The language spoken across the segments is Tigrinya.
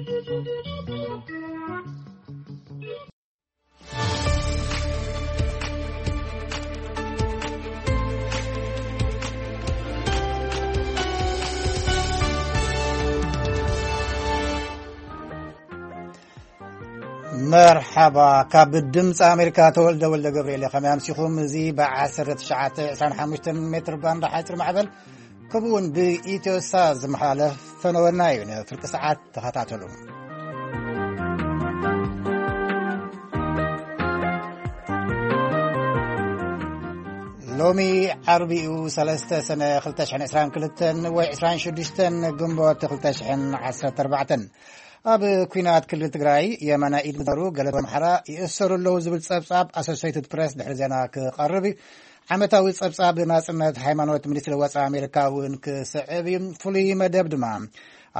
መርሓባ። ካብ ድምፂ ኣሜሪካ ተወልደ ወልደ ገብርኤል። ከመይ ኣምሲኹም? እዚ ብ1925 ሜትር ባንድ ሓፂር ማዕበል፣ ከምኡ እውን ብኢትዮሳ ዝመሓላለፍ ፈነወና እዩ። ንፍርቂ ሰዓት ተኸታተሉ። ሎሚ ዓርቢኡ 3 ሰነ 2022 ወይ 26 ግንቦት 2014፣ ኣብ ኩናት ክልል ትግራይ የማናይ ኢድ ዝነበሩ ገለ ኣምሓራ ይእሰሩ ኣለዉ ዝብል ጸብጻብ ኣሶሴይትድ ፕሬስ ድሕሪ ዜና ክቐርብ እዩ። ዓመታዊ ጸብጻብ ናጽነት ሃይማኖት ሚኒስትሪ ወጻኢ ኣሜሪካ እውን ክስዕብ እዩ። ፍሉይ መደብ ድማ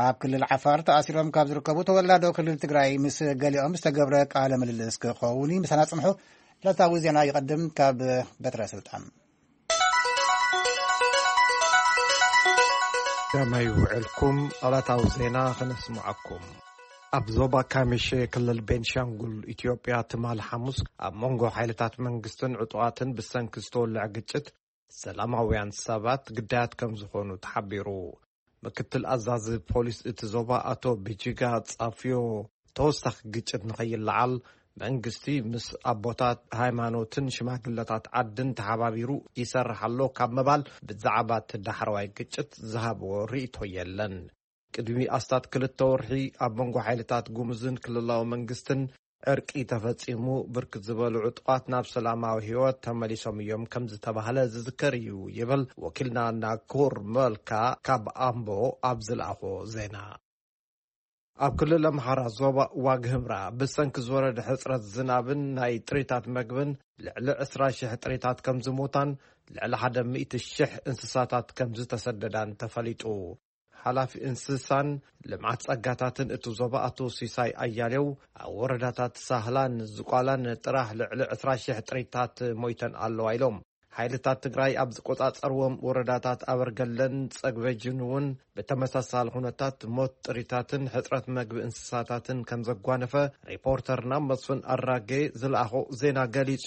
ኣብ ክልል ዓፋር ተኣሲሮም ካብ ዝርከቡ ተወላዶ ክልል ትግራይ ምስ ገሊኦም ዝተገብረ ቃለ ምልልስ ክኸውን እዩ። ምሳና ጽንሑ። ዕለታዊ ዜና ይቐድም ካብ በትረ ስልጣን። ከመይ ውዕልኩም? ዕለታዊ ዜና ክነስምዓኩም። ኣብ ዞባ ካሚሼ ክልል ቤንሻንጉል ኢትዮጵያ ትማሊ ሓሙስ ኣብ መንጎ ሓይልታት መንግስትን ዕጡቓትን ብሰንኪ ዝተወልዐ ግጭት ሰላማውያን ሰባት ግዳያት ከም ዝኾኑ ተሓቢሩ። ምክትል ኣዛዚ ፖሊስ እቲ ዞባ ኣቶ ቢጂጋ ጻፍዮ፣ ተወሳኺ ግጭት ንኸይለዓል መንግስቲ ምስ ኣቦታት ሃይማኖትን ሽማግለታት ዓድን ተሓባቢሩ ይሰርሕ ኣሎ ካብ ምባል ብዛዕባ እቲ ዳሕረዋይ ግጭት ዝሃብዎ ርእይቶ የለን። ቅድሚ ኣስታት ክልተ ወርሒ ኣብ መንጎ ሓይልታት ጉምዝን ክልላዊ መንግስትን ዕርቂ ተፈጺሙ፣ ብርክት ዝበሉ ዕጡቓት ናብ ሰላማዊ ህይወት ተመሊሶም እዮም ከም ዝተባህለ ዝዝከር እዩ ይብል ወኪልና ናኩር መልካ ካብ ኣምቦ ኣብ ዝለኣኾ ዜና። ኣብ ክልል ኣምሓራ ዞባ ዋግ ህምራ ብሰንኪ ዝወረደ ሕጽረት ዝናብን ናይ ጥሪታት መግብን ልዕሊ 20,000 ጥሪታት ከም ዝሞታን ልዕሊ 100,000 እንስሳታት ከም ዝተሰደዳን ተፈሊጡ። ሓላፊ እንስሳን ልምዓት ጸጋታትን እቲ ዞባ ኣቶ ሲሳይ ኣያሌው፣ ኣብ ወረዳታት ሳህላን ዝቋላን ጥራሕ ልዕሊ 20,000 ጥሪታት ሞይተን ኣለዋ ኢሎም። ሓይልታት ትግራይ ኣብ ዝቆጻጸርዎም ወረዳታት ኣበርገለን ጸግበጅን እውን ብተመሳሳሊ ኩነታት ሞት ጥሪታትን ሕጽረት መግቢ እንስሳታትን ከም ዘጓነፈ ሪፖርተርና መስፍን ኣራጌ ዝለኣኾ ዜና ገሊጹ።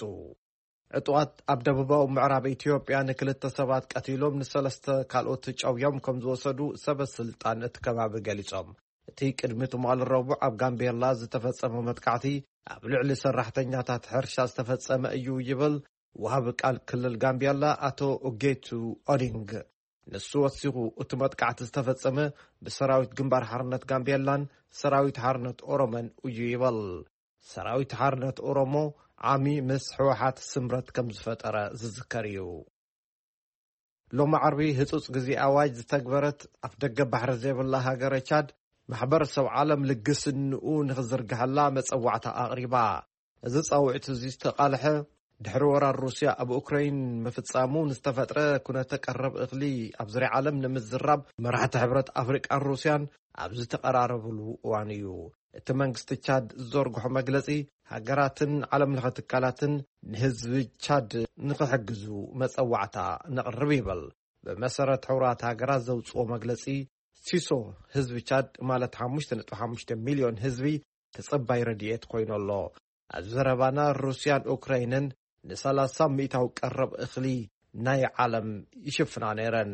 ዕጡቓት ኣብ ደቡባዊ ምዕራብ ኢትዮጵያ ንክልተ ሰባት ቀቲሎም ንሰለስተ ካልኦት ጨውዮም ከም ዝወሰዱ ሰበ ስልጣን እቲ ከባቢ ገሊጾም። እቲ ቅድሚ ትማሊ ረቡዕ ኣብ ጋምቤላ ዝተፈጸመ መጥቃዕቲ ኣብ ልዕሊ ሰራሕተኛታት ሕርሻ ዝተፈጸመ እዩ ይብል ወሃቢ ቃል ክልል ጋምቤላ ኣቶ ኡጌቱ ኦዲንግ። ንሱ ወሲኹ፣ እቲ መጥቃዕቲ ዝተፈጸመ ብሰራዊት ግንባር ሓርነት ጋምቤላን ሰራዊት ሓርነት ኦሮሞን እዩ ይብል። ሰራዊት ሓርነት ኦሮሞ ዓሚ ምስ ህወሓት ስምረት ከም ዝፈጠረ ዝዝከር እዩ። ሎሚ ዓርቢ ህጹጽ ግዜ ኣዋጅ ዝተግበረት ኣፍ ደገ ባሕሪ ዘይብላ ሃገረ ቻድ፣ ማሕበረሰብ ዓለም ልግስንኡ ንኽዝርግሐላ መጸዋዕታ ኣቕሪባ። እዚ ጻውዒት እዚ ዝተቓልሐ ድሕሪ ወራር ሩስያ ኣብ ኡክራይን ምፍጻሙ ንዝተፈጥረ ኩነተ ቀረብ እኽሊ ኣብ ዙርያ ዓለም ንምዝራብ መራሕቲ ሕብረት ኣፍሪቃን ሩስያን ኣብ ዝተቐራረብሉ እዋን እዩ። እቲ መንግስቲ ቻድ ዝዘርግሖ መግለጺ፣ ሃገራትን ዓለም ለኸ ትካላትን ንህዝቢ ቻድ ንኽሕግዙ መጸዋዕታ ነቕርብ ይብል። ብመሰረት ሕቡራት ሃገራት ዘውጽኦ መግለጺ፣ ሲሶ ህዝቢ ቻድ ማለት 5.5 ሚልዮን ህዝቢ ተጸባይ ረድኤት ኮይኑ ኣሎ። ኣብ ዘረባና፣ ሩስያን ኡክራይንን ን30% ቀረብ እኽሊ ናይ ዓለም ይሽፍና ነይረን።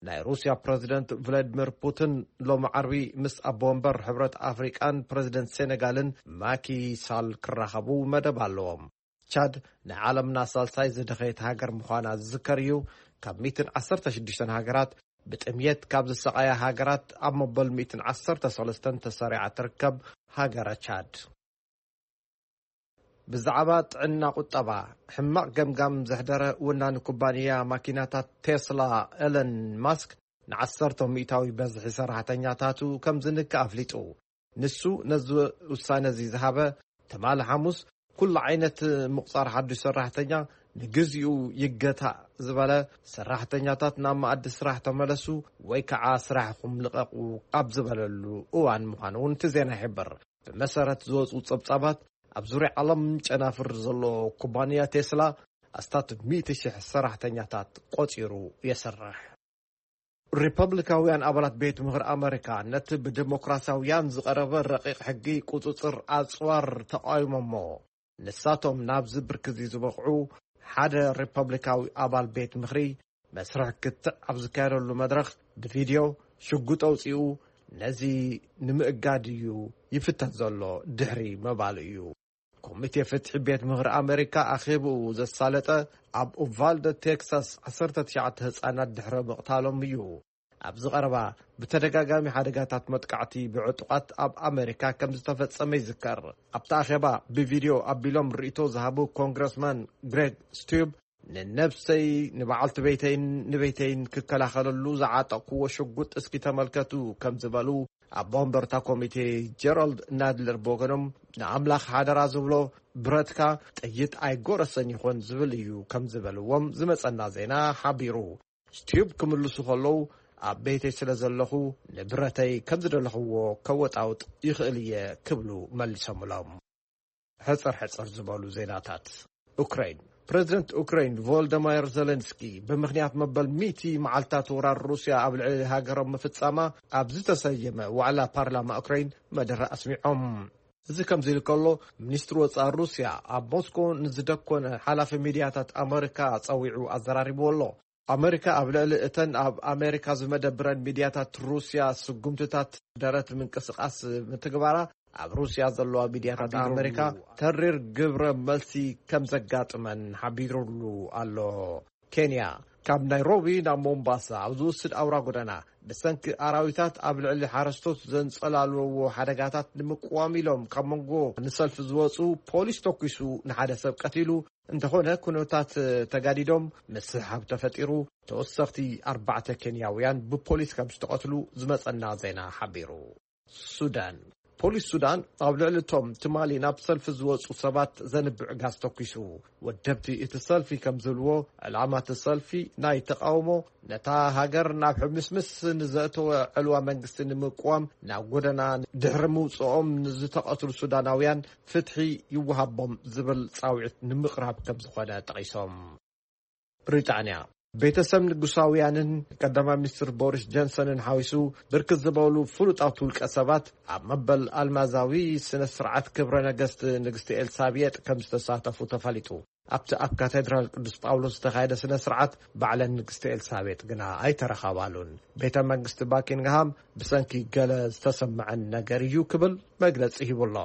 ናይ ሩስያ ፕረዚደንት ቭላድሚር ፑቲን ሎሚ ዓርቢ ምስ ኣቦ ወንበር ሕብረት ኣፍሪቃን ፕረዚደንት ሴኔጋልን ማኪ ሳል ክራኸቡ መደብ ኣለዎም። ቻድ ናይ ዓለምና ሳልሳይ ዝደኸየት ሃገር ምዃና ዝዝከር እዩ። ካብ 116 ሃገራት ብጥምየት ካብ ዝሰቓያ ሃገራት ኣብ መበል 113 ተሰሪዓ ትርከብ ሃገረ ቻድ። ብዛዕባ ጥዕና ቁጠባ ሕማቕ ገምጋም ዘሕደረ ወናኒ ኩባንያ ማኪናታት ቴስላ ኤለን ማስክ ን10% በዝሒ ሰራሕተኛታቱ ከም ዝንከ ኣፍሊጡ። ንሱ ነዚ ውሳነ እዚ ዝሃበ ትማሊ ሓሙስ፣ ኩሉ ዓይነት ምቑጻር ሓዱሽ ሰራሕተኛ ንግዚኡ ይገታእ ዝበለ፣ ሰራሕተኛታት ናብ መኣዲ ስራሕ ተመለሱ ወይ ከዓ ስራሕኹም ልቐቑ ኣብ ዝበለሉ እዋን ምዃኑ እውን እቲ ዜና ይሕብር። ብመሰረት ዝወፁ ጸብጻባት፣ ኣብ ዙርያ ዓለም ጨናፍር ዘሎ ኩባንያ ቴስላ ኣስታት 100,000 ሰራሕተኛታት ቆጺሩ የስርሕ። ሪፐብሊካውያን ኣባላት ቤት ምኽሪ ኣመሪካ ነቲ ብዲሞክራሲያውያን ዝቐረበ ረቂቕ ሕጊ ቁጽጽር ኣጽዋር ተቓዊሞሞ። ንሳቶም ናብዚ ብርኪ እዚ ዝበቕዑ፣ ሓደ ሪፐብሊካዊ ኣባል ቤት ምኽሪ መስርሕ ክትዕ ኣብ ዝካየደሉ መድረኽ ብቪድዮ ሽጉጥ ኣውጺኡ፣ ነዚ ንምእጋድ እዩ ይፍተት ዘሎ ድሕሪ ምባሉ እዩ። ኮሚቴ ፍትሒ ቤት ምኽሪ ኣመሪካ ኣኼብኡ ዘሳለጠ ኣብ ኡቫልደ ቴክሳስ ዓሰርተ ትሽዓተ ህጻናት ድሕሪ ምቕታሎም እዩ። ኣብዚ ቀረባ ብተደጋጋሚ ሓደጋታት መጥቃዕቲ ብዕጡቓት ኣብ ኣመሪካ ከም ዝተፈጸመ ይዝከር። ኣብቲ ኣኼባ ብቪድዮ ኣቢሎም ርእይቶ ዝሃቡ ኮንግረስማን ግሬግ ስቱብ፣ ንነብሰይ፣ ንበዓልቲ ቤተይን ንቤተይን ክከላኸለሉ ዝዓጠቕኩዎ ሽጉጥ እስኪ ተመልከቱ ከም ዝበሉ፣ ኣቦ ወንበር እታ ኮሚቴ ጀራልድ ናድለር ብወገኖም፣ ንኣምላኽ ሓደራ ዝብሎ ብረትካ ጥይት ኣይጎረሰን ይኾን ዝብል እዩ ከም ዝበልዎም ዝመጸና ዜና ሓቢሩ። ስቱብ ክምልሱ ከለዉ፣ ኣብ ቤተይ ስለ ዘለኹ ንብረተይ ከም ዝደለኽዎ ከወጣውጥ ይኽእል እየ ክብሉ መሊሶምሎም። ሕጽር ሕጽር ዝበሉ ዜናታት። ኡክራይን። ፕረዚደንት ኡክራይን ቮልደማይር ዜለንስኪ ብምኽንያት መበል ሚእቲ መዓልታት ወራር ሩስያ ኣብ ልዕሊ ሃገሮም ምፍጻማ ኣብ ዝተሰየመ ዋዕላ ፓርላማ ኡክራይን መደረ ኣስሚዖም። እዚ ከምዚ ኢሉ ከሎ፣ ሚኒስትሪ ወጻኢ ሩስያ ኣብ ሞስኮ ንዝደኮነ ሓላፊ ሚድያታት ኣመሪካ ጸዊዑ ኣዘራሪብዎ ኣሎ። ኣመሪካ ኣብ ልዕሊ እተን ኣብ ኣመሪካ ዝመደብረን ሚድያታት ሩስያ ስጉምትታት ደረት ምንቅስቃስ ምትግባራ፣ ኣብ ሩስያ ዘለዋ ሚድያታት ኣመሪካ ተሪር ግብረ መልሲ ከም ዘጋጥመን ሓቢሩሉ ኣሎ። ኬንያ፣ ካብ ናይሮቢ ናብ ሞምባሳ ኣብ ዝወስድ ኣውራ ጎደና ብሰንኪ ኣራዊታት ኣብ ልዕሊ ሓረስቶት ዘንጸላልዎ ሓደጋታት ንምቅዋም ኢሎም ካብ መንጎ ንሰልፊ ዝወጹ ፖሊስ ተኩሱ ንሓደ ሰብ ቀቲሉ። እንተኾነ፣ ኩነታት ተጋዲዶም ምስሕሓብ ተፈጢሩ፣ ተወሰኽቲ ኣርባዕተ ኬንያውያን ብፖሊስ ከም ዝተቐትሉ ዝመጸና ዜና ሓቢሩ። ሱዳን። ፖሊስ ሱዳን ኣብ ልዕሊ እቶም ትማሊ ናብ ሰልፊ ዝወጹ ሰባት ዘንብዕ ጋዝ ተኩሱ። ወደብቲ እቲ ሰልፊ ከም ዝብልዎ፣ ዕላማ እቲ ሰልፊ ናይ ተቃውሞ፣ ነታ ሃገር ናብ ሕምስምስ ንዘእተወ ዕልዋ መንግስቲ ንምቅዋም ናብ ጎደና ድሕሪ ምውጽኦም ንዝተቐትሉ ሱዳናውያን ፍትሒ ይወሃቦም ዝብል ጻውዒት ንምቕራብ ከም ዝኾነ ጠቒሶም። ብሪጣንያ። ቤተሰብ ንጉሳውያንን ቀዳማይ ሚኒስትር ቦሪስ ጆንሰንን ሓዊሱ ብርክት ዝበሉ ፍሉጣት ውልቀ ሰባት ኣብ መበል ኣልማዛዊ ስነ ስርዓት ክብረ ነገስት ንግስቲ ኤልሳቤጥ ከም ዝተሳተፉ ተፈሊጡ። ኣብቲ ኣብ ካቴድራል ቅዱስ ጳውሎስ ዝተኻየደ ስነ ስርዓት ባዕለን ንግስቲ ኤልሳቤጥ ግና ኣይተረኸባሉን። ቤተ መንግስቲ ባኪንግሃም ብሰንኪ ገለ ዝተሰምዐን ነገር እዩ ክብል መግለጺ ሂቡ ኣሎ።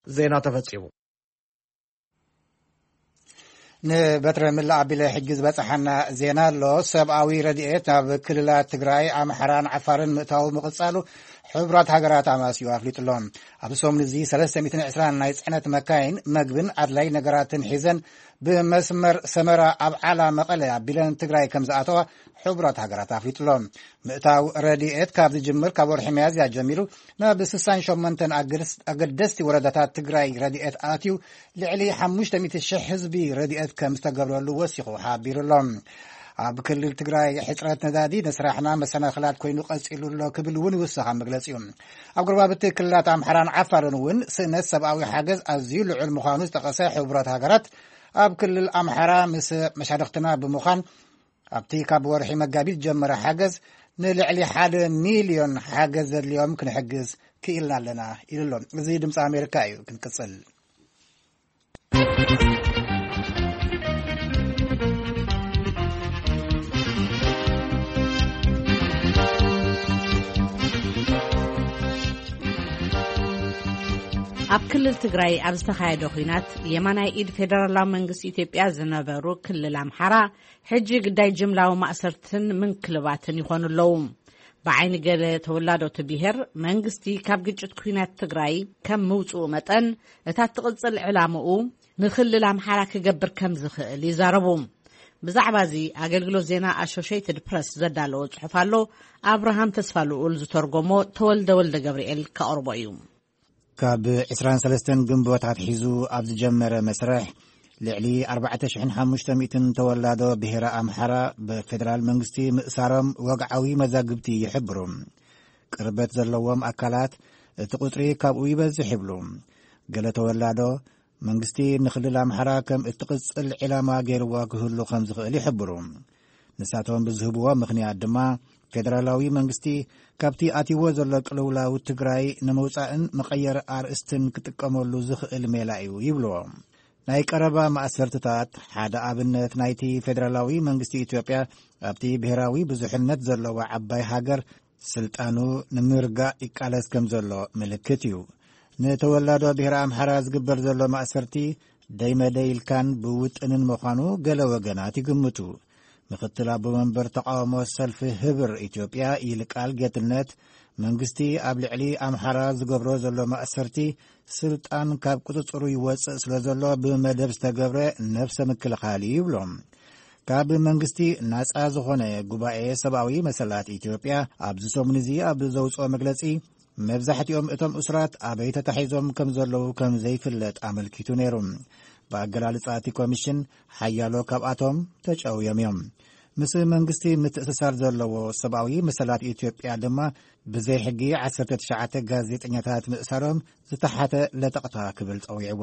ዜና ተፈጺሙ። ንበትረ ምላእ ኣቢለ ሕጂ ዝበጽሓና ዜና ኣሎ። ሰብኣዊ ረድኤት ናብ ክልላት ትግራይ፣ ኣምሓራን ዓፋርን ምእታው ምቕጻሉ ሕቡራት ሃገራት ኣማስዩ ኣፍሊጡ ኣሎ። ኣብዚ ሰሙን እዚ ሰለስተ ሚእትን ዕስራን ናይ ጽዕነት መካይን መግብን ኣድላይ ነገራትን ሒዘን ብመስመር ሰመራ ኣብ ዓላ መቐለ ኣቢለን ትግራይ ከም ዝኣተዋ ሕቡራት ሃገራት ኣፍሊጡ ኣሎ። ምእታው ረድኤት ካብ ዝጅምር ካብ ወርሒ ሚያዝያ ጀሚሩ ናብ ስሳን ሸሞንተን ኣገደስ-፣ ኣገደስቲ ወረዳታት ትግራይ ረድኤት ኣትዩ ልዕሊ ሓሙሽተ ሚእቲ ሽሕ ህዝቢ ረድኤት ከም ዝተገብረሉ ወሲኹ ሓቢሩ ኣሎ። ኣብ ክልል ትግራይ ሕፅረት ነዳዲ ንስራሕና መሰናኽላት ኮይኑ ቀፂሉ ኣሎ ክብል እውን ይውሰኽ ኣብ መግለፂኡ። ኣብ ጎረባብቲ ክልላት ኣምሓራን ዓፋርን እውን ስእነት ሰብኣዊ ሓገዝ ኣዝዩ ልዑል ምዃኑ ዝጠቐሰ ሕቡራት ሃገራት፣ ኣብ ክልል ኣምሓራ ምስ መሻርኽትና ብምዃን ኣብቲ ካብ ወርሒ መጋቢት ዝጀመረ ሓገዝ ንልዕሊ ሓደ ሚልዮን ሓገዝ ዘድልዮም ክንሕግዝ ክኢልና ኣለና ኢሉ ኣሎ። እዚ ድምፂ ኣሜሪካ እዩ። ክንቅፅል። ኣብ ክልል ትግራይ ኣብ ዝተኻየደ ኲናት የማናይ ኢድ ፌደራላዊ መንግስቲ ኢትዮጵያ ዝነበሩ ክልል ኣምሓራ ሕጂ ግዳይ ጅምላዊ ማእሰርትን ምንክልባትን ይኾኑ ኣለዉ። ብዓይኒ ገለ ተወላዶቲ ብሄር መንግስቲ ካብ ግጭት ኲናት ትግራይ ከም ምውፅኡ መጠን እታ ትቕፅል ዕላምኡ ንክልል ኣምሓራ ክገብር ከም ዝኽእል ይዛረቡ። ብዛዕባ እዚ ኣገልግሎት ዜና ኣሶሼይትድ ፕረስ ዘዳለዎ ጽሑፍ ኣሎ። ኣብርሃም ተስፋ ልኡል ዝተርጎሞ ተወልደ ወልደ ገብርኤል ከቕርቦ እዩ። ካብ ዕስራን ሰለስተን ግንቦት ኣትሒዙ ኣብ ዝጀመረ መስርሕ፣ ልዕሊ ኣርባዕተ ሽሕን ሓሙሽተ ሚእትን ተወላዶ ብሄረ ኣምሓራ ብፌደራል መንግስቲ ምእሳሮም ወግዓዊ መዛግብቲ ይሕብሩ። ቅርበት ዘለዎም ኣካላት እቲ ቁጽሪ ካብኡ ይበዝሕ ይብሉ። ገለ ተወላዶ መንግስቲ ንክልል ኣምሓራ ከም እትቕጽል ዒላማ ገይርዋ ክህሉ ከም ዝኽእል ይሕብሩ። ንሳቶም ብዝህብዎ ምኽንያት ድማ፣ ፌደራላዊ መንግስቲ ካብቲ ኣትይዎ ዘሎ ቅልውላው ትግራይ ንምውጻእን መቐየር ኣርእስትን ክጥቀመሉ ዝኽእል ሜላ እዩ ይብልዎ። ናይ ቀረባ ማእሰርትታት ሓደ ኣብነት ናይቲ ፌደራላዊ መንግስቲ ኢትዮጵያ ኣብቲ ብሔራዊ ብዙሕነት ዘለዋ ዓባይ ሃገር ስልጣኑ ንምርጋእ ይቃለስ ከም ዘሎ ምልክት እዩ። ንተወላዶ ብሔረ ኣምሓራ ዝግበር ዘሎ ማእሰርቲ ደይመደይ ኢልካን ብውጥንን ምዃኑ ገለ ወገናት ይግምቱ። ምኽትል ኣቦ መንበር ተቃውሞ ሰልፊ ህብር ኢትዮጵያ ይልቃል ጌትነት፣ መንግስቲ ኣብ ልዕሊ ኣምሓራ ዝገብሮ ዘሎ ማእሰርቲ ስልጣን ካብ ቁጽጽሩ ይወጽእ ስለ ዘሎ ብመደብ ዝተገብረ ነብሰ ምክልኻል እዩ ይብሎም። ካብ መንግስቲ ናጻ ዝኾነ ጉባኤ ሰብኣዊ መሰላት ኢትዮጵያ ኣብዚ ሰሙን እዚ ኣብ ዘውጽኦ መግለጺ፣ መብዛሕትኦም እቶም እሱራት ኣበይ ተታሒዞም ከም ዘለዉ ከም ዘይፍለጥ ኣመልኪቱ ነይሩ። ብኣገላልጻ እቲ ኮሚሽን ሓያሎ ካብኣቶም ተጨውዮም እዮም። ምስ መንግስቲ ምትእስሳር ዘለዎ ሰብኣዊ መሰላት ኢትዮጵያ ድማ ብዘይ ሕጊ ዓሰርተ ትሽዓተ ጋዜጠኛታት ምእሳሮም ዝተሓተ ለጠቕታ ክብል ጸዊዕዎ።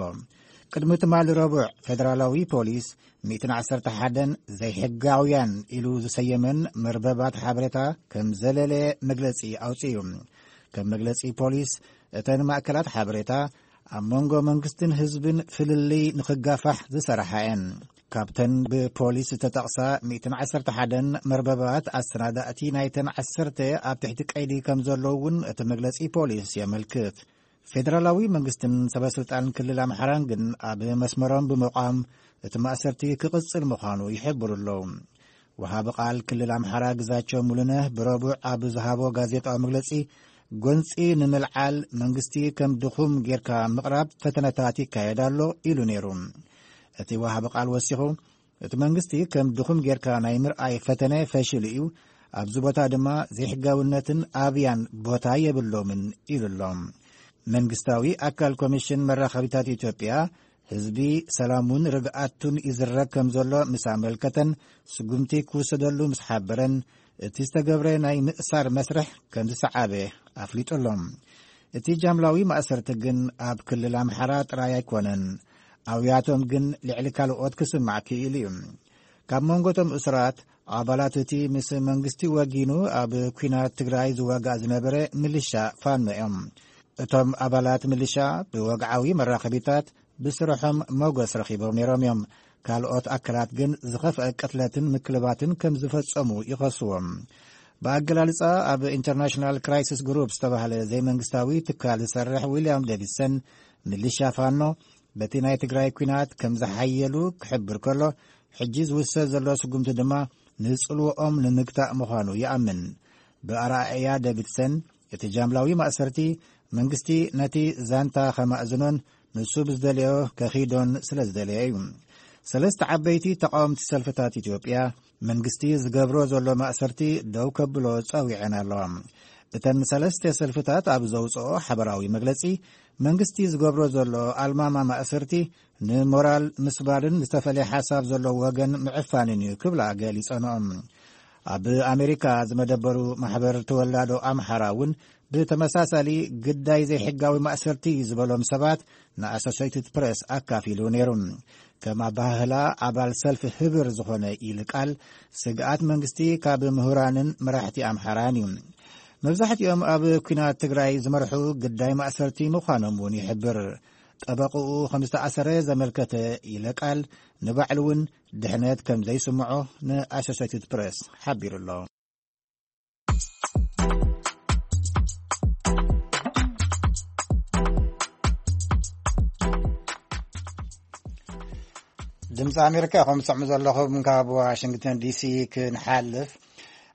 ቅድሚ ትማሊ ረቡዕ ፌደራላዊ ፖሊስ ሚእትን ዓሰርተ ሓደን ዘይሕጋውያን ኢሉ ዝሰየመን መርበባት ሓበሬታ ከም ዘለለ መግለጺ ኣውጺኡ። ከም መግለጺ ፖሊስ፣ እተን ማእከላት ሓበሬታ ኣብ መንጎ መንግስትን ህዝብን ፍልልይ ንኽጋፋሕ ዝሰርሓ እየን። ካብተን ብፖሊስ ዝተጠቕሳ ሚእትን ዓሰርተ ሓደን መርበባት ኣሰናዳእቲ ናይተን ዓሰርተ ኣብ ትሕቲ ቀይዲ ከም ዘለዉ እውን እቲ መግለጺ ፖሊስ የመልክት። ፌደራላዊ መንግስትን ሰበስልጣን ክልል ኣምሓራን ግን ኣብ መስመሮም ብምቋም እቲ ማእሰርቲ ክቕጽል ምዃኑ ይሕብሩ ኣለዉ። ወሃቢ ቃል ክልል ኣምሓራ ግዛቸው ሙሉነህ ብረቡዕ ኣብ ዝሃቦ ጋዜጣዊ መግለጺ፣ ጎንጺ ንምልዓል መንግስቲ ከም ድኹም ጌርካ ምቕራብ ፈተነታት ይካየድ ኣሎ ኢሉ ነይሩ። እቲ ወሃቢ ቃል ወሲኹ፣ እቲ መንግስቲ ከም ድኹም ጌርካ ናይ ምርኣይ ፈተነ ፈሽሉ እዩ፣ ኣብዚ ቦታ ድማ ዘይሕጋውነትን ኣብያን ቦታ የብሎምን ኢሉ ኣሎ። መንግስታዊ ኣካል ኮሚሽን መራኸቢታት ኢትዮጵያ፣ ህዝቢ ሰላሙን ርግኣቱን ይዝረግ ከም ዘሎ ምስ ኣመልከተን፣ ስጉምቲ ክውሰደሉ ምስ ሓበረን፣ እቲ ዝተገብረ ናይ ምእሳር መስርሕ ከም ዝሰዓበ ኣፍሊጡ ኣሎ። እቲ ጃምላዊ ማእሰርቲ ግን ኣብ ክልል ኣምሓራ ጥራይ ኣይኮነን። ኣውያቶም ግን ልዕሊ ካልኦት ክስማዕ ክኢሉ እዩ። ካብ መንጎ እቶም እሱራት ኣባላት እቲ ምስ መንግስቲ ወጊኑ ኣብ ኲናት ትግራይ ዝዋጋእ ዝነበረ ምልሻ ፋኖ እዮም። እቶም ኣባላት ምልሻ ብወግዓዊ መራኸቢታት ብስርሖም ሞገስ ረኺቦም ነይሮም እዮም። ካልኦት ኣካላት ግን ዝኸፍአ ቅትለትን ምክልባትን ከም ዝፈጸሙ ይኸስዎም። ብኣገላልጻ ኣብ ኢንተርናሽናል ክራይሲስ ግሩፕ ዝተባህለ ዘይመንግስታዊ ትካል ዝሰርሕ ዊልያም ዴቪድሰን፣ ምልሻ ፋኖ በቲ ናይ ትግራይ ኲናት ከም ዝሓየሉ ክሕብር ከሎ፣ ሕጂ ዝውሰድ ዘሎ ስጉምቲ ድማ ንጽልዎኦም ንምግታእ ምዃኑ ይኣምን። ብኣረኣእያ ዴቪድሰን፣ እቲ ጃምላዊ ማእሰርቲ መንግስቲ ነቲ ዛንታ ከማእዝኖን ንሱ ብዝደለዮ ከኺዶን ስለ ዝደለየ እዩ። ሰለስተ ዓበይቲ ተቃወምቲ ሰልፍታት ኢትዮጵያ መንግስቲ ዝገብሮ ዘሎ ማእሰርቲ ደው ከብሎ ጸዊዐን ኣለዋ። እተን ሰለስተ ሰልፍታት ኣብ ዘውጽኦ ሓበራዊ መግለጺ፣ መንግስቲ ዝገብሮ ዘሎ ኣልማማ ማእሰርቲ ንሞራል ምስባርን ዝተፈለየ ሓሳብ ዘለዎ ወገን ምዕፋንን እዩ ክብላ ገሊጸንኦም። ኣብ ኣሜሪካ ዝመደበሩ ማሕበር ተወላዶ ኣምሓራ እውን ብተመሳሳሊ ግዳይ ዘይሕጋዊ ማእሰርቲ ዝበሎም ሰባት ንኣሶሴይትድ ፕሬስ ኣካፊሉ ነይሩ። ከም ኣባህላ ኣባል ሰልፊ ህብር ዝኾነ ይልቃል፣ ስግኣት መንግስቲ ካብ ምሁራንን መራሕቲ ኣምሓራን እዩ። መብዛሕትኦም ኣብ ኲናት ትግራይ ዝመርሑ ግዳይ ማእሰርቲ ምዃኖም እውን ይሕብር። ጠበቕኡ ከም ዝተኣሰረ ዘመልከተ ይልቃል፣ ንባዕሉ እውን ድሕነት ከም ዘይስምዖ ንኣሶሴይትድ ፕሬስ ሓቢሩ ኣሎ። ድምፂ ኣሜሪካ ኢኹም ትሰምዑ ዘለኹም። ካብ ዋሽንግተን ዲሲ ክንሓልፍ፣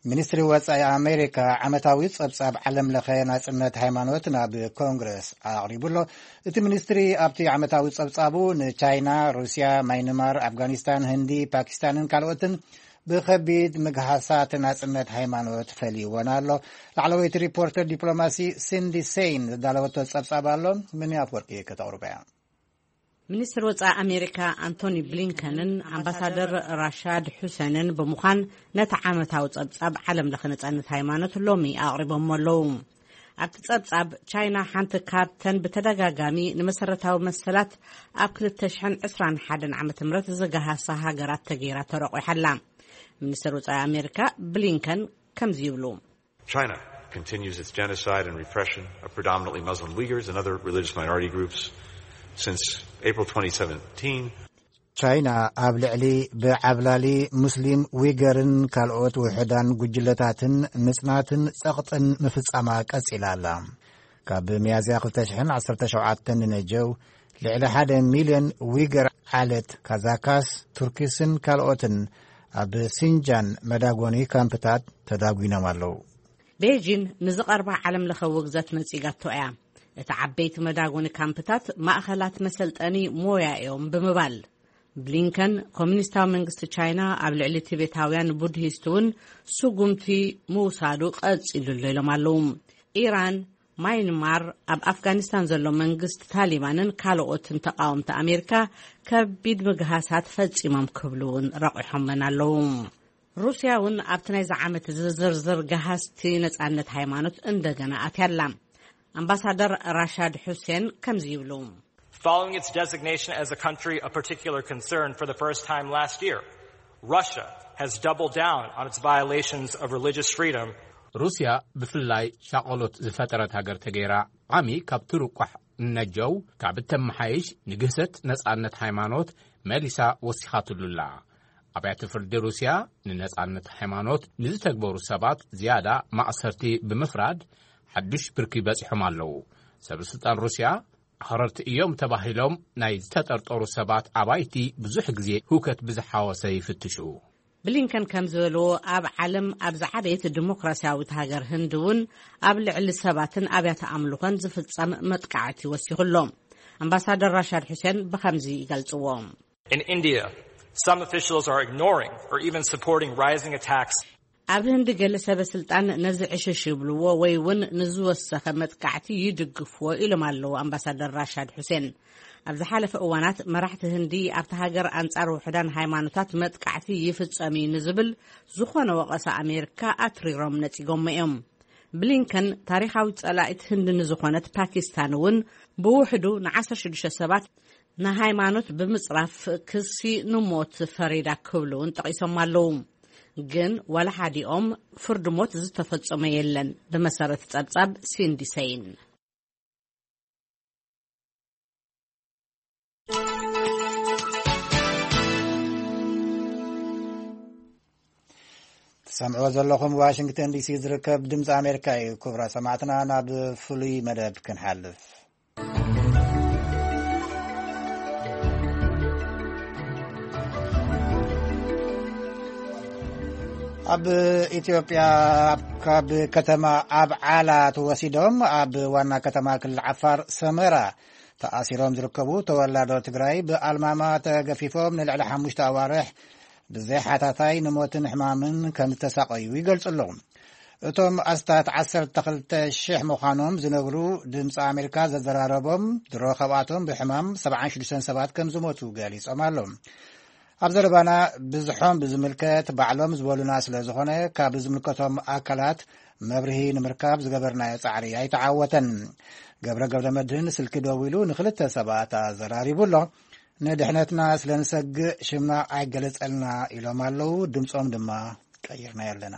ሚኒስትሪ ወፃኢ ኣሜሪካ ዓመታዊ ፀብፃብ ዓለም ለኸ ናፅነት ሃይማኖት ናብ ኮንግረስ ኣቕሪቡ ኣሎ። እቲ ሚኒስትሪ ኣብቲ ዓመታዊ ፀብፃቡ ንቻይና፣ ሩስያ፣ ማይንማር፣ ኣፍጋኒስታን፣ ህንዲ፣ ፓኪስታንን ካልኦትን ብኸቢድ ምግሃሳት ናፅነት ሃይማኖት ፈልይወን ኣሎ። ላዕለወይቲ ሪፖርተር ዲፕሎማሲ ሲንዲ ሴይን ዘዳለወቶ ፀብፃብ ኣሎ። ምን ኣፍወርቂ ከተቕርበያ። ሚኒስትር ወጻኢ ኣሜሪካ ኣንቶኒ ብሊንከንን ኣምባሳደር ራሻድ ሑሴንን ብምዃን ነቲ ዓመታዊ ጸብጻብ ዓለም ለኸ ነጻነት ሃይማኖት ሎሚ ኣቕሪቦሞ ኣለዉ። ኣብቲ ጸብጻብ፣ ቻይና ሓንቲ ካብተን ብተደጋጋሚ ንመሰረታዊ መሰላት ኣብ ክልተ ሽሕን ዕስራን ሓደን ዓመተ ምህረት ዝገሃሳ ሃገራት ተገይራ ተረቑሓ ኣላ። ሚኒስትር ወጻኢ ኣሜሪካ ብሊንከን ከምዚ ይብሉ። China continues its genocide and repression of predominantly Muslim Uyghurs and other religious minority groups. Since April twenty seventeen, ቻይና ኣብ ልዕሊ ብዓብላሊ ሙስሊም ዊገርን ካልኦት ውሑዳን ጉጅለታትን ምጽናትን ጸቕጥን ምፍጻማ ቀጺላ ኣላ። ካብ ሚያዝያ ክልተ ሽሕን ዓሰርተ ሸውዓተን ንነጀው ልዕሊ ሓደ ሚልዮን ዊገር ዓለት ካዛካስ፣ ቱርኪስን ካልኦትን ኣብ ሲንጃን መዳጎኒ ካምፕታት ተዳጒኖም ኣለዉ። ቤጂን ንዝቐርባ ዓለም ለኸ ውግዘት ነጺጋቶ እያ። እቲ ዓበይቲ መዳጎኒ ካምፕታት ማእኸላት መሰልጠኒ ሞያ እዮም ብምባል፣ ብሊንከን ኮሚኒስታዊ መንግስቲ ቻይና ኣብ ልዕሊ ቲቤታውያን ቡድሂስት እውን ስጉምቲ ምውሳዱ ቀጺሉ ኣሎ ኢሎም ኣለዉ። ኢራን፣ ማይንማር፣ ኣብ ኣፍጋኒስታን ዘሎ መንግስቲ ታሊባንን ካልኦትን ተቃወምቲ ኣሜሪካ ከቢድ ምግሃሳት ፈጺሞም ክብሉ እውን ረቑሖመን ኣለዉ። ሩስያ እውን ኣብቲ ናይዚ ዓመት ዝዝርዝር ገሃስቲ ነጻነት ሃይማኖት እንደገና ኣትያላ። ኣምባሳደር ራሻድ ሑሴን ከምዚ ይብሉ። Following its designation as a country of particular concern for the first time last year, Russia has doubled down on its violations of religious freedom. ሩስያ ብፍላይ ሻቐሎት ዝፈጠረት ሃገር ተገይራ ዓሚ ካብ ትርቋሕ እነጀው ካብ እተመሓይሽ ንግህሰት ነጻነት ሃይማኖት መሊሳ ወሲኻትሉላ። ኣብያተ ፍርዲ ሩስያ ንነጻነት ሃይማኖት ንዝተግበሩ ሰባት ዝያዳ ማእሰርቲ ብምፍራድ ሓዱሽ ብርኪ በጺሖም ኣለዉ። ሰበስልጣን ሩስያ ኣኽረርቲ እዮም ተባሂሎም ናይ ዝተጠርጠሩ ሰባት ኣባይቲ ብዙሕ ግዜ ህውከት ብዝሓወሰ ይፍትሹ። ብሊንከን ከም ዝበልዎ፣ ኣብ ዓለም ኣብ ዝዓበየት ዲሞክራሲያዊት ሃገር ህንዲ እውን ኣብ ልዕሊ ሰባትን ኣብያተ ኣምልኾን ዝፍጸም መጥቃዕቲ ወሲኹ ኣሎ። ኣምባሳደር ራሻድ ሑሴን ብኸምዚ ይገልጽዎ። In India, some officials are ignoring or even supporting rising attacks. ኣብ ህንዲ ገለ ሰበ ስልጣን ነዚ ዕሽሽ ይብልዎ ወይ እውን ንዝወሰኸ መጥቃዕቲ ይድግፍዎ ኢሎም ኣለዉ ኣምባሳደር ራሻድ ሑሴን። ኣብ ዝሓለፈ እዋናት መራሕቲ ህንዲ ኣብቲ ሃገር ኣንጻር ውሑዳን ሃይማኖታት መጥቃዕቲ ይፍጸም እዩ ንዝብል ዝኾነ ወቐሳ ኣሜሪካ ኣትሪሮም ነጺጎሞ እዮም። ብሊንከን ታሪኻዊት ጸላኢት ህንዲ ንዝኾነት ፓኪስታን እውን ብውሕዱ ን ዓሰርተ ሽዱሽተ ሰባት ንሃይማኖት ብምጽራፍ ክሲ ንሞት ፈሪዳ ክብሉ እውን ጠቒሶም ኣለዉ። ግን ዋላ ሓዲኦም ፍርዲ ሞት ዝተፈጸመ የለን፣ ብመሰረት ጸብጻብ ሲንዲ ሰይን። ትሰምዕዎ ዘለኹም ዋሽንግተን ዲሲ ዝርከብ ድምፂ ኣሜሪካ እዩ። ክቡራት ሰማዕትና፣ ናብ ፍሉይ መደብ ክንሓልፍ። ኣብ ኢትዮጵያ፣ ኣብ ካብ ከተማ ኣብዓላ ተወሲዶም ኣብ ዋና ከተማ ክልል ዓፋር ሰመራ ተኣሲሮም ዝርከቡ ተወላዶ ትግራይ ብኣልማማ ተገፊፎም ንልዕሊ ሓሙሽተ ኣዋርሕ ብዘይ ሓታታይ ንሞትን ሕማምን ከም ዝተሳቐዩ ይገልጹ ኣለዉ። እቶም ኣስታት ዓሰርተ ክልተ ሽሕ ምዃኖም ዝነግሩ ድምፂ ኣሜሪካ ዘዘራረቦም፣ ድሮ ካብኣቶም ብሕማም ሰብዓን ሽዱሽተን ሰባት ከም ዝሞቱ ገሊጾም ኣለዉ። ኣብ ዘረባና ብዝሖም ብዝምልከት ባዕሎም ዝበሉና ስለ ዝኾነ፣ ካብ ዝምልከቶም ኣካላት መብርሂ ንምርካብ ዝገበርናዮ ጻዕሪ ኣይተዓወተን። ገብረ ገብረ መድህን ስልኪ ደዊሉ ንኽልተ ሰባት ኣዘራሪቡ ኣሎ። ንድሕነትና ስለ ንሰግእ ሽምና ኣይገለጸልና ኢሎም ኣለዉ። ድምጾም ድማ ቀይርናዮ ኣለና።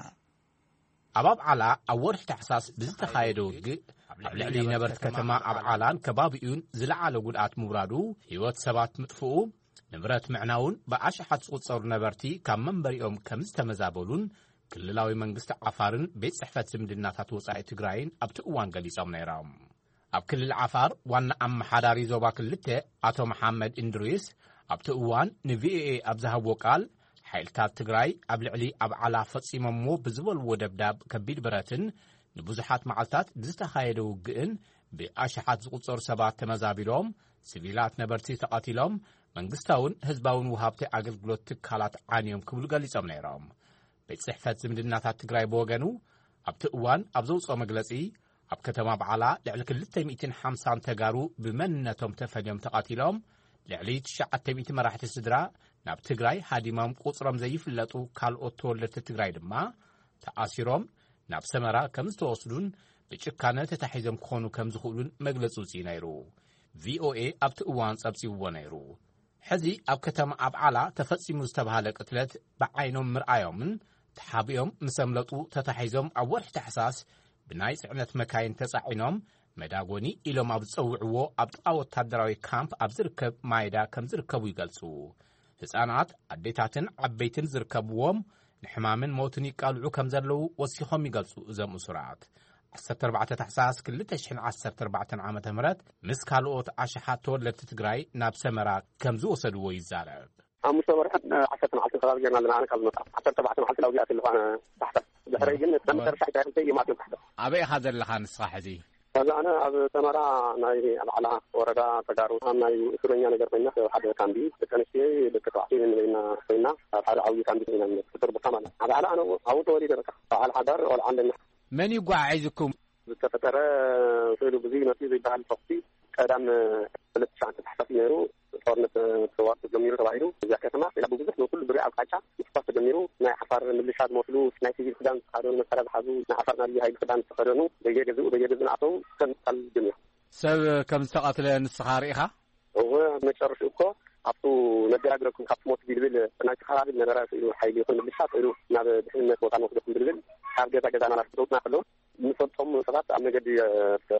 ኣብ ኣብዓላ ኣብ ወርሒ ታሕሳስ ብዝተኻየደ ውግእ ኣብ ልዕሊ ነበርቲ ከተማ ኣብዓላን ከባቢኡን ዝለዓለ ጉድኣት ምውራዱ፣ ህይወት ሰባት ምጥፍኡ፣ ንብረት ምዕናውን ብኣሽሓት ዝቑጸሩ ነበርቲ ካብ መንበሪኦም ከም ዝተመዛበሉን ክልላዊ መንግስቲ ዓፋርን ቤት ጽሕፈት ዝምድናታት ወጻኢ ትግራይን ኣብቲ እዋን ገሊጾም ነይሮም። ኣብ ክልል ዓፋር ዋና ኣመሓዳሪ ዞባ ክልተ ኣቶ መሓመድ እንድሪስ ኣብቲ እዋን ንቪኦኤ ኣብ ዝሃብዎ ቃል፣ ሓይልታት ትግራይ ኣብ ልዕሊ ኣብዓላ ፈጺሞምዎ ብዝበልዎ ደብዳብ ከቢድ ብረትን ንብዙሓት መዓልታት ብዝተኻየደ ውግእን ብኣሽሓት ዝቑጸሩ ሰባት ተመዛቢሎም፣ ሲቪላት ነበርቲ ተቐቲሎም፣ መንግስታውን ህዝባውን ወሃብቲ ኣገልግሎት ትካላት ዓንዮም ክብሉ ገሊጾም ነይሮም። ቤት ጽሕፈት ዝምድናታት ትግራይ ብወገኑ፣ ኣብቲ እዋን ኣብ ዘውጽኦ መግለጺ፣ ኣብ ከተማ ኣብዓላ ልዕሊ ክልተ ሚእትን ሓምሳን ተጋሩ ብመንነቶም ተፈልዮም ተቐቲሎም፣ ልዕሊ ትሽዓተ ሚእቲ መራሕቲ ስድራ ናብ ትግራይ ሃዲሞም ቁጽሮም ዘይፍለጡ ካልኦት ተወለድቲ ትግራይ ድማ ተኣሲሮም ናብ ሰመራ ከም ዝተወስዱን ብጭካነ ተታሒዞም ክኾኑ ከም ዝኽእሉን መግለጺ ውጽኢ ነይሩ። ቪኦኤ ኣብቲ እዋን ጸብጺብዎ ነይሩ። ሕዚ ኣብ ከተማ ኣብዓላ ተፈጺሙ ዝተባህለ ቅትለት ብዓይኖም ምርኣዮምን ተሓቢኦም ምስ ኣምለጡ ተታሒዞም ኣብ ወርሒ ታሕሳስ ብናይ ጽዕነት መካይን ተጻዒኖም መዳጎኒ ኢሎም ኣብ ዝጸውዕዎ ኣብ ጥቓ ወታደራዊ ካምፕ ኣብ ዝርከብ ማይዳ ከም ዝርከቡ ይገልጹ። ህጻናት፣ ኣዴታትን ዓበይትን ዝርከብዎም ንሕማምን ሞትን ይቃልዑ ከም ዘለዉ ወሲኾም ይገልጹ። እዞም እሱራት ዓሰርተ ኣርባዕተ ታሕሳስ ክልተ ሽሕን ዓሰርተ ኣርባዕተን ዓመተ ምህረት ምስ ካልኦት ኣሽሓት ተወለድቲ ትግራይ ናብ ሰመራ ከም ዝወሰድዎ ይዛረብ። ሓሙሽተ ወርሕን ዓሰርተ መዓልቲ ከባቢ ጌርና ኣለና። ኣነ ካብ ዝመጣ ዓሰርተ ኣርባዕተ መዓልቲ ላውዚ ኣትልኳነ ታሕተ። ድሕረይ ግን ናብ መጨረሻ ኢታይ ክልተ እዮም ኣትዮም ታሕተ። ኣበይ ኢኻ ዘለኻ ንስኻ ሕዚ? ሕዚ ኣነ ኣብ ሰመራ ናይ ኣባዕላ ወረዳ ተጋሩ ኣብ ናይ እስረኛ ነገር ኮይና፣ ኣብ ሓደ ካምቢ ደቂ ኣንስትዮ ደቂ ተባዕትዮ ንበይና ኮይና ኣብ ሓደ ዓብዪ ካምቢ ኮይና፣ ፍጡር ቦታ ማለት። ኣባዕላ ኣነ ኣብኡ ተወሊደ፣ በቃ በዓል ሓዳር ቆልዓ ኣለና። መን ይጓዓዒዝኩም? ዝተፈጠረ ስእሉ ብዙይ መፅኡ ዘይበሃል ተኹሲ ቀዳም ክልተ ትሽዓተ ታሕሳስ ነይሩ። ጦርነት ተዋርቱ ጀሚሩ ተባሂሉ። እዚኣ ከተማ ኢላ ብብዙሕ ብኩሉ ዙርያ ኣቅጣጫ ምትኳስ ተጀሚሩ። ናይ ዓፋር ምልሻ ዝመስሉ ናይ ሲቪል ክዳን ዝተኸደኑ፣ መሳርያ ዝሓዙ፣ ናይ ዓፋር ናይ ልዩ ሃይሊ ክዳን ዝተኸደኑ በየገዝኡ በየገዝኡ እናኣተዉ ከም ምቕታል ጀሚሩ። ሰብ ከም ዝተቐትለ ንስኻ ርኢኻ? እወ፣ መጨረሽኡ እኮ ኣብቱ ነገራግረኩም ካብቲ ሞት ቢልብል ናይቲ ከባቢ ዝነበረ ስእሉ ሓይሊ ይኹን ምልሻ ስእሉ ናብ ድሕንነት ቦታ ንወስደኩም ብልብል ካብ ገዛ ገዛ እናላስደውትና ከለዉ ንፈልጦም ሰባት ኣብ መገዲ፣ እ፣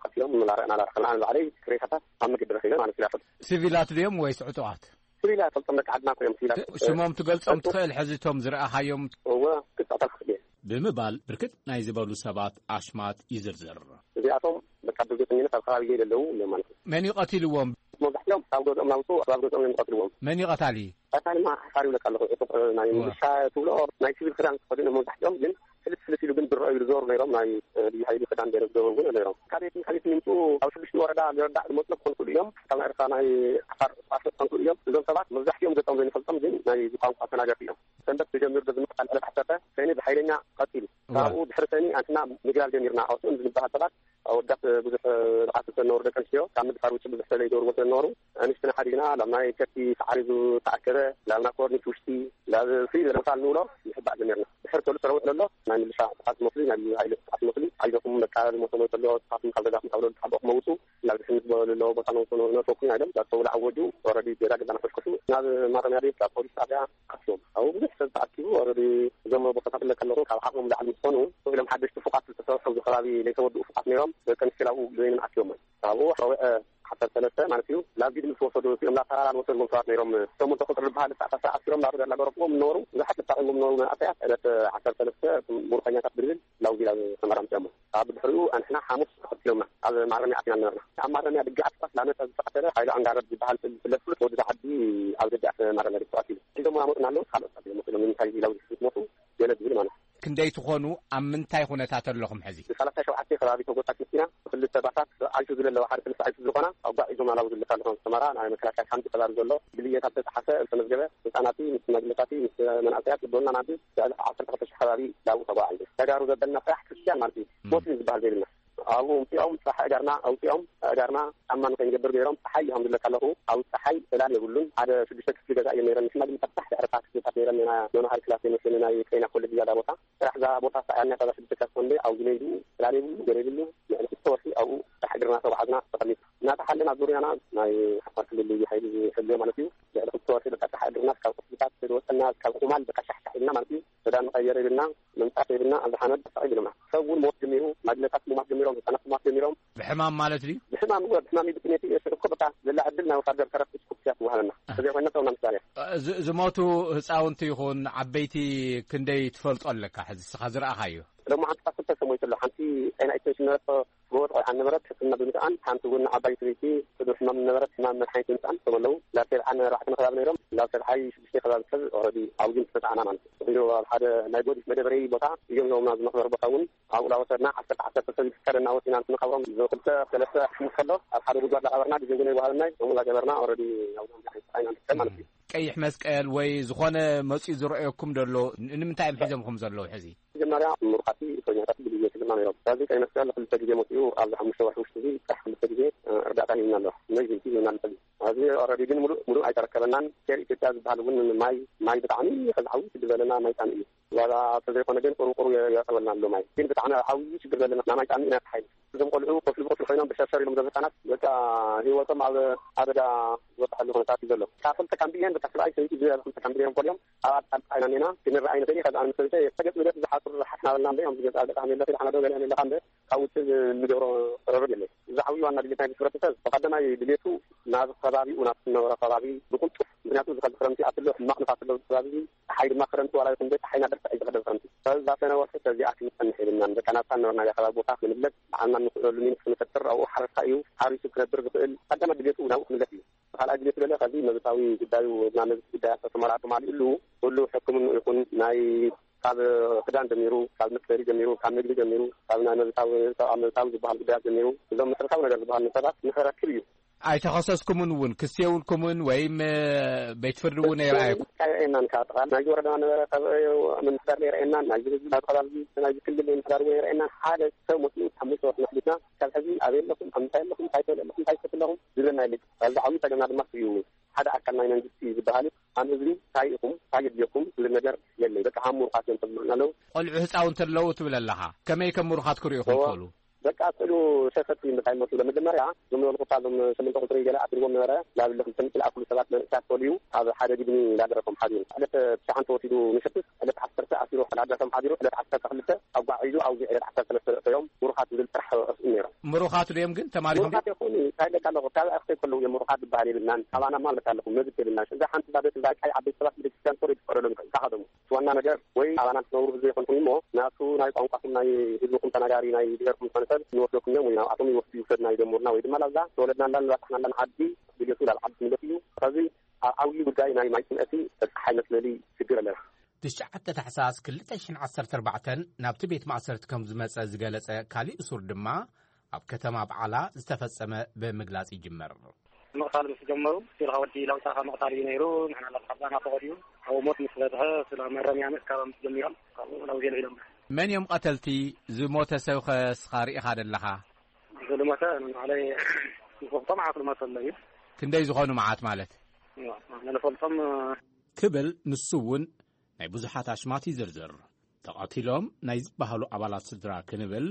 ቀቲሎም እናረኣና እናረኸብና ንባዕለይ ሬሳታት ኣብ መገዲ ረኺበ ማለት እዩ። ሲቪላት ድዮም ወይስ ዕጡቓት? ሲቪላት ፈልጦም ደቂ ዓድና እኮ እዮም ሲቪላት። ሽሞም ትገልጾም ትኽእል ሕዚ እቶም ዝረኣኻዮም? እወ፣ ክጻወታ ክኽእል እየ። ብምባል ብርክት ናይ ዝበሉ ሰባት ኣሽማት ይዝርዝር። እዚኣቶም በቃ ብዘይጠኝነት ኣብ ከባቢ ዘለዉ እዮም ማለት እዩ። መን እዩ ቀቲልዎም? መብዛሕትኦም ካብ ገዝኦም ናውፅኡ ኣብ ገዝኦም እዮም ዝቐትልዎም። መን እዩ ቀታሊ? ቀታሊ ማ ሓሳር ይብለካ ኣለኹ። ዕጡቕ፣ እ፣ ናይ እዋ። ምልሻ ትብሎ ናይ ሲቪል ክዳን ተኸዲኖም መብዛሕትኦም ግን ፍልጥ ፍልጥ ኢሉ ግን ዝረኣዩ ዝዞሩ ነይሮም። ናይ፣ እ፣ ልዩ ሓይሊ ክዳን ገይሮም ዝዞሩ እውን ነይሮም። ካበየት ካበየት ይምፅኡ ኣብ ሽዱሽተ ወረዳ ዝረዳእ ዝመፅኡ ክኾኑ ይኽእሉ እዮም። ካብ ናይ ኤርትራ ናይ ዓፋር ቋሸት ክኾኑ ይኽእሉ እዮም። እዞም ሰባት መብዛሕትኦም ገጾም ዘይንፈልጦም ግን ናይ ቋንቋ ተናገርቲ እዮም። ሰንበት ተጀሚሩ ዶ ዝምቕታል ዕለት ዓሰርተ ሰኒ ብሓይለኛ ቀፂሉ። እዋ። ካብኡ ድሕሪ ሰኒ ኣንትና ምግላል ጀሚርና። ኣብኡ ዝንበሃል ሰባት ኣወዳት ብዙሕ ብዓት ዝተነበሩ ደቂ ኣንስትዮ ካብ ምድፋር ውጭ ብዙሕ ስለይገብርዎ ስለዝነበሩ ኣንስትና ሓዲግና ናብ ናይ ከብቲ ሳዕሪ ዝተኣከበ ናብ ናኮርኒት ውሽጢ ናብ ፍይ ዝበለ ቦታ ንብሎ ይሕባእ ጀሚርና። ድሕሪ ሰሉስ ረውሕ ዘሎ ናይ ምልሻ ጥቃት መስሉ ናይ ልዩ ሓይሊ ጥቃት መስሉ ኣይዞኩም በቃ ዝሞተ ሞይተ ኣሎ ንስኻትኩም ካብ ገዛኹም ካብ ለሉ ተሓበእኩም መውፁ ናብ ድሕነት ዘለዎ ቦታ ነውፅኡ ነፈኩና ኢሎም ዳተውላ ኣወጁ። ኦረዲ ገዛ ገዛ ነፈሽከሹ ናብ ማረሚያ ቤት ካብ ፖሊስ ጣብያ ኣትዮም ኣብኡ ብዙሕ ሰብ ተኣኪቡ ኦረዲ እዞም ቦታታት ለከለኹ ካብ ዓቕሞም ላዕሊ ምስ ኮኑ ኢሎም ሓደሽቲ ፉቓት ዝተሰርሑ ኣብዚ ከባቢ ዘይተወድኡ ፉቓት ነይሮም ደቂ ኣንስትዮ ኣብኡ ዘይንን ኣትዮም ካብኡ ረውዐ ዓሰርተ ሰለስተ ማለት እዩ ናብ ጊድ ምስ ወሰዱ እቲኦም ላተራራ ዝወሰድዎም ሰባት ነይሮም ሸሞንተ ቁፅሪ ዝበሃል ተኣሳሰ ኣሲሮም ናብ ገላ ገረፍዎም ነበሩ ብዙሓት ተጣቒሞም ነበሩ መንእሰያት ዕለት ዓሰርተ ሰለስተ ሙርኸኛታት ብድብል ላውጊላ ተመራምፅኦም ኣብ ድሕሪኡ ኣንሕና ሓሙስ ተኸትሎምና ኣብ ማረሚያ ኣቲና ነበርና ኣብ ማረሚያ ድጋዓት ኳስ ላመፀ ዝተቐተለ ሓይሉ ኣንጋረብ ዝበሃል ዝፍለጥ ፍሉጥ ወዲ ዓዲ ኣብ ደገኣት ማረሚያ ድግባት እዩ ሒዞም ኣመፁና ኣለዉ ካልኦት ኣቢሎም መፅሎም ንምንታይ ኢላው ዝሞቱ ገለ ዝብል ማለት እዩ ክንደይ ትኾኑ ኣብ ምንታይ ኩነታት ኣለኹም ሕዚ ሰላሳ ሸውዓተ ከባቢ ተጎታት መኪና ክልተ ባሳት ኣይሱዙ ዘለዋ ሓደ ክልተ ኣይሱዙ ዝኾና ኣጓዒዞም ኣላው ዝልካ ኣለኹም ሰመራ ናይ መከላከያ ሓንቲ ከባቢ ዘሎ ብልየታት ተፃሓፈ ዝተመዝገበ ህፃናት ምስ ሽማግለታት ምስ መናእሰያት ልቦና ናብዚ ልዕሊ ዓሰርተ ክልተ ሺሕ ከባቢ ዳኡ ተጓዓዙ ተጋሩ ዘበልና ጥራሕ ክርስትያን ማለት እዩ ሞስሊም ዝበሃል ዘይብልና ኣብኡ ምፅኦም ፀሓ እጋርና ኣውፅኦም እጋርና ጫማ ንከይንገብር ገይሮም ፀሓይ ይሃምዱለካ ኣለኹ ኣብ ፀሓይ ዕላል የብሉን ሓደ ሽዱሽተ ክፍሊ ገዛ እዮም ነይረን ንሕና ግን ፈታሕ ድሕርታ ክፍልታት ነይረን ና ኖኖ ሃይ ክላስ የመስለኒ ናይ ጤና ኮሌጅ ዝያዳ ቦታ ስራሕ እዛ ቦታ ሰኣያና እዛ ሽዱሽተ ክላስ ኮንደ ኣብዚ ነይዱ ዕላል የብሉ ገለ የብሉ ንዕሊ ክልተ ወርሒ ኣብኡ ፀሓ እግርና ተጓዓዝና ተቐሚጥ እናተሓለና ዙርያና ናይ ሓፋር ክልል ልዩ ሓይሊ ዝሕልዮ ማለት እዩ ልዕሊ ክልተ ወርሒ በቃ ፀሓ እግርና ካብ ክፍልታት ዝወፀና ካብ ቁማል በቃ ሻሕሻሕ ኢልና ማለት እዩ ክዳን መቐየር የብልና ምንፃፍ የብልና ኣብዚ ሓመድ ተሳቒ ብሎና ሰብ እውን ሞት ጀሚሩ ማግነታት ሙማት ጀሚሮም ህፃናት ሙማት ጀሚሮም ብሕማም ማለት ድዩ? ብሕማም እወ ብሕማም እዩ ብጥሜት እዩ ሽዑ እኮ በቃ ዘላ ዕድል ናይ ወታደር ተረፍ ስኩፕ እያ ትወሃበና ተዘይ ኮይና ሰውና ምሳሌ ዝሞቱ ህፃውንቲ ይኹን ዓበይቲ ክንደይ ትፈልጦ ኣለካ ሕዚ ስኻ ዝረኣኻዮ? ሎማዓንቲ ክልተ ሰብ ሞይቱ ኣሎ ሓንቲ ጤና ኤክስቴንሽን ነበረት ጎቦ ተቆልዓ ነበረት ሕክምና ብምስኣን ሓንቲ እውን ዓባይ ሰበይቲ ሕዱር ሕማም ነበረት ሕማም መድሓኒት ብምስኣን እቶም ኣለዉ ናብ ሰብዓን ኣርባዕተን ከባቢ ነይሮም ናብ ሰብዓይ ሽዱሽተ ከባቢ ሰብ ኦረዲ ኣብዚን ዝተፃዕና ማለት እዩ ኢሉ ኣብ ሓደ ናይ ጎዲፍ መደበረይ ቦታ እዮም ሂቦምና ዝመኽበሪ ቦታ እውን ኣብኡ ላወሰድና ዓሰርተ ዓሰርተ ሰብ ይፍቀደና ወፂና ንክንቐብሮም ክልተ ሰለስተ ክምስ ከሎ ኣብ ሓደ ጉድጓድ ላቐበርና ግዜ እውን ኣይወሃበናይ ከምኡ ላገበርና ኦረዲ ኣብዞም ዓይነት ፀዓይና ንርከብ ማለት እዩ ቀይሕ መስቀል ወይ ዝኾነ መፂኡ ዝረእየኩም ደሎ ንምንታይ እዮም ሒዞምኩም ዘለዉ ሕዚ መጀመርያ ምሩኻት እስረኛታት ብግዜ ስግርና ነይሮም። ስለዚ ቀይ መስቀል ክልተ ግዜ መፂኡ ኣብዚ ሓሙሽተ ወርሒ ውሽጢ እዚ ጥራሕ ክልተ ግዜ እርዳእታ ሂብና ኣሎ። ኢመርጀንሲ ሂብና ኣሎ። ሕዚ ኦረዲ ግን ሙሉእ ሙሉእ ኣይተረከበናን። ኬር ኢትዮጵያ ዝበሃል እውን ማይ ማይ ብጣዕሚ ከዚ ዓብዪ ችግር ዘለና ማይ ፃምእ እዩ። ዋላ ተዘይኮነ ግን ቁሩ ቁሩ የእተወልና ኣሎ ማይ። ግን ብጣዕሚ ዓብዪ ችግር ዘለና ናይ ማይ ፃምእ ኢና ተሓይሉ። እዞም ቆልዑ ኮፍሊ ብኮፍሊ እዮም ብሸርሸር ኢሎም ዘሎ ህፃናት በቃ ህይወቶም ኣብ ሓደጋ ዝበፅሐሉ ኩነታት እዩ ዘሎ። ካብ ክልተ ካምቢ እየን በቃ ሰብኣይ ሰበይቲ ዙርያ ክልተ ካምቢ ገይሮም ፈሊዮም ኣብ ኣጣል ዓይና ኔና ክንረኣይ ንኽእል እዩ። ከዚ ኣነ ሰበይተ ሰገፅ ብለት ዝሓፅሩ ሓፍና በልና እምበ እዮም ዝገዛ ገጣሚ የለ ሓናዶ ገለ የለ ካብ ውጭ ንገብሮ ረብር የለ። ዝዓብዩ ዋና ድሌት ናይ ሕብረተሰብ ብቀዳማይ ድሌቱ ናብ ከባቢኡ ናብ ዝነበረ ከባቢ ብቁልጡፍ ምክንያቱ ዝኸዚ ክረምቲ ኣትሎ ሕማቕ ንፋስ ኣሎ ከባቢ ፀሓይ ድማ ክረምቲ ዋላ ይኹን ቤት ፀሓይ ናደርሰ ኣይዝኸደ ክረምቲ ሰብዛሰነ ወርሒ ሰዚኣ ክንፀንሕ ኢልና በቃ ናብታ ነበርና ከባቢ ቦታ ክንብለጥ ብዓልና ንኽእለሉ ሚንስ ክንፈጥር ኣብኡ ሓረስታ እዩ ሓሪሱ ክነብር ዝኽእል ቀዳማይ ድሌቱ ናብኡ ክንለት እዩ። ካልኣይ ድሌቱ ደለ ከዚ መብታዊ ጉዳዩ ናብ መብት ጉዳያት ተመራርጡ ማሊእሉ ኩሉ ሕክምኑ ይኹን ናይ ካብ ክዳን ጀሚሩ ካብ መፅለሊ ጀሚሩ ካብ ምግቢ ጀሚሩ ካብ ናይ መብታዊ ሰብኣዊ መብታዊ ዝበሃል ጉዳያት ጀሚሩ እዞም መሰረታዊ ነገር ዝበሃል ንሰባት ንኸረክብ እዩ። ኣይተኸሰስኩምን እውን ክሲ የብልኩምን ወይም ቤት ፍርዲ እውን ኣይረኣየኩም? ኣይረኣየናን ካብ ጥቓ ናይዚ ወረዳ ነበረ ካብ ምምሕዳር ኣይረኣየናን ናይዚ ህዝቢ ናይዚ ከባቢ ናይዚ ክልል ምምሕዳር እውን ኣይረኣየናን ሓደ ሰብ መፅኡ ሓሙሽተ ወርሒ መሕሊፍና ካብ ሕዚ ኣበይ ኣለኹም ኣብ ምንታይ ኣለኹም እንታይ ትበልዑ ኣለኹም እንታይ ትሰትዩ ኣለኹም ዝብለና የለን። ኣብዚ ዓብዪ ፀገምና ድማ እዩ ሓደ ኣካል ናይ መንግስቲ ዝበሃል እዩ። ኣን ህዝቢ እንታይ ኢኹም እንታይ የድልየኩም ዝብል ነገር የለይ። በቃ ሃም ምሩኻት እዮም ተብሉና ኣለዉ። ቆልዑ ህፃውንቲ ኣለዉ ትብል ኣለኻ። ከመይ ከም ምሩኻት ክርእዩ እዎ። ይኽእሉ? በቃ ስእሉ ሸፈት እንታይ መስሎ መጀመርያ ዝመልኩ እዞም ሸመንተ ቁፅሪ ገለ ኣስርዎም ነበረ ላብለ ክልተ ምትል ኣክሉ ሰባት መንእሳት ፈልዩ ኣብ ሓደ ግድሚ ላደረሶም ሓዲሩ ዕለት ትሽዓን ተወሲዱ ምሸትስ ዕለት ዓሰርተ ኣሲሩ ላደረሶም ሓዲሩ ዕለት ዓሰርተ ክልተ ኣጓዒዙ ኣብዚ ዕለት ዓሰርተ ሰለስተ እዮም ምሩኻት ዝብል ጥራሕ ርእስኡ ነይሮም። ምሩኻት ድዮም ግን ተማሪኹም ድዮም? ምሩኻት ይኹን እንታይ ደቃ ኣለኹ ካብ ኣክሰይ ከለዉ እዮም ምሩኻት ዝበሃል የብልናን። ኣባና ማለት ኣለኹ መብት የብልናን። እዛ ሓንቲ ባደት እዛ ቃይ ዓበይቲ ሰባት ቤተክርስትያን ኮር ይፈቀደሎም እንታይ ካኸደሙ ዋና ነገር ወይ ኣባና ክትነብሩ ብዘይኮንኩም እሞ ናቱ ናይ ቋንቋኹም ናይ ህዝብኹም ተናጋሪ ናይ ብሄርኩም ዝኾነ ሰብ ንወስደኩም እዮም ወይ ናብኣቶም ይወስዱ ይውሰድና ይደምሩና ወይ ድማ ላብዛ ተወለድናላን ዝባፃሕናላን ዓዲ ድሌቱ ናብ ዓዲ ክምለስ እዩ። ከዚ ኣብ ዓብዪ ጉዳይ ናይ ማይ ፅምእቲ በፃሕ ኣይመስለሊ ችግር ኣለና። ትሽዓተ ታሕሳስ ክልተ ሽሕን ዓሰርተ ኣርባዕተን ናብቲ ቤት ማእሰርቲ ከም ዝመጸ ዝገለጸ ካሊእ እሱር ድማ ኣብ ከተማ በዓላ ዝተፈጸመ ብምግላጽ ይጅመር። ምቕታል ምስ ጀመሩ ስቲልካ ወዲ ለውጣኻ ምቕታል እዩ ነይሩ። ንሕና ለብሓባና ፈቐድዩ ኣብኡ ሞት ምስ በዝሐ ስለ መረምያ ምእካባም ጀሚሮም ካብኡ ላው ዜሎ ኢሎም። መን እዮም ቀተልቲ? ዝሞተ ሰብኸ እስኻ ርኢኻ ደለኻ? ዝልሞተ ንባዕለይ ዝፈልጦ መዓት ልሞተ ኣሎ እዩ። ክንደይ ዝኾኑ መዓት ማለት? ንፈልጦም ክብል ንሱ እውን ናይ ብዙሓት ኣሽማት ይዝርዝር። ተቐቲሎም ናይ ዝበሃሉ ኣባላት ስድራ ክንብል